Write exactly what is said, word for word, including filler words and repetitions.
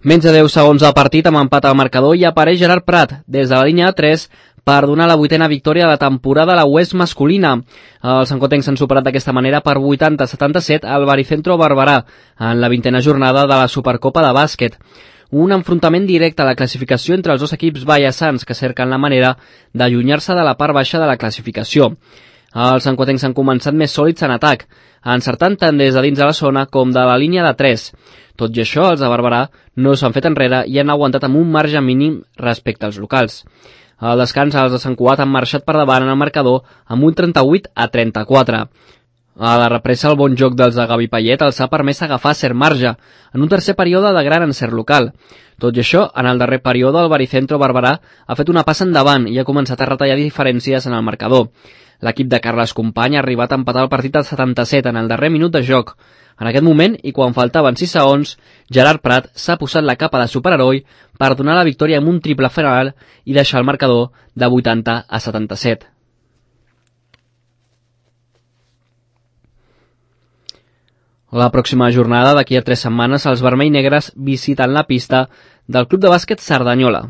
Menys de deu segons del partit amb empat al marcador i apareix Gerard Prat des de la línia de tres per donar la vuitena victòria de la temporada a la U E S masculina. Els sancotencs s'han superat d'aquesta manera per vuitanta a setanta-set al Baricentro Barberà en la vintena jornada de la Supercopa de bàsquet. Un enfrontament directe a la classificació entre els dos equips ballassans que cerquen la manera d'allunyar-se de la part baixa de la classificació. Els sancotencs han començat més sòlids en atac, encertant tant des de dins de la zona com de la línia de tres. Tot i això, els de Barberà no s'han fet enrere i han aguantat amb un marge mínim respecte als locals. Al descans, els de Sant Cugat han marxat per davant en el marcador amb un trenta-vuit a trenta-quatre. A la represa, el bon joc dels de Gavi Payet els ha permès agafar cert marge en un tercer període de gran encert local. Tot i això, en el darrer període, el Baricentro Barberà ha fet una passa endavant i ha començat a retallar diferències en el marcador. L'equip de Carles Company ha arribat a empatar el partit al setanta-set en el darrer minut de joc. En aquest moment, i quan faltaven sis segons, Gerard Prat s'ha posat la capa de superheroi per donar la victòria amb un triple final i deixar el marcador de vuitanta a setanta-set. La pròxima jornada, d'aquí a tres setmanes, els vermell-negres visiten la pista del Club de Bàsquet Cerdanyola.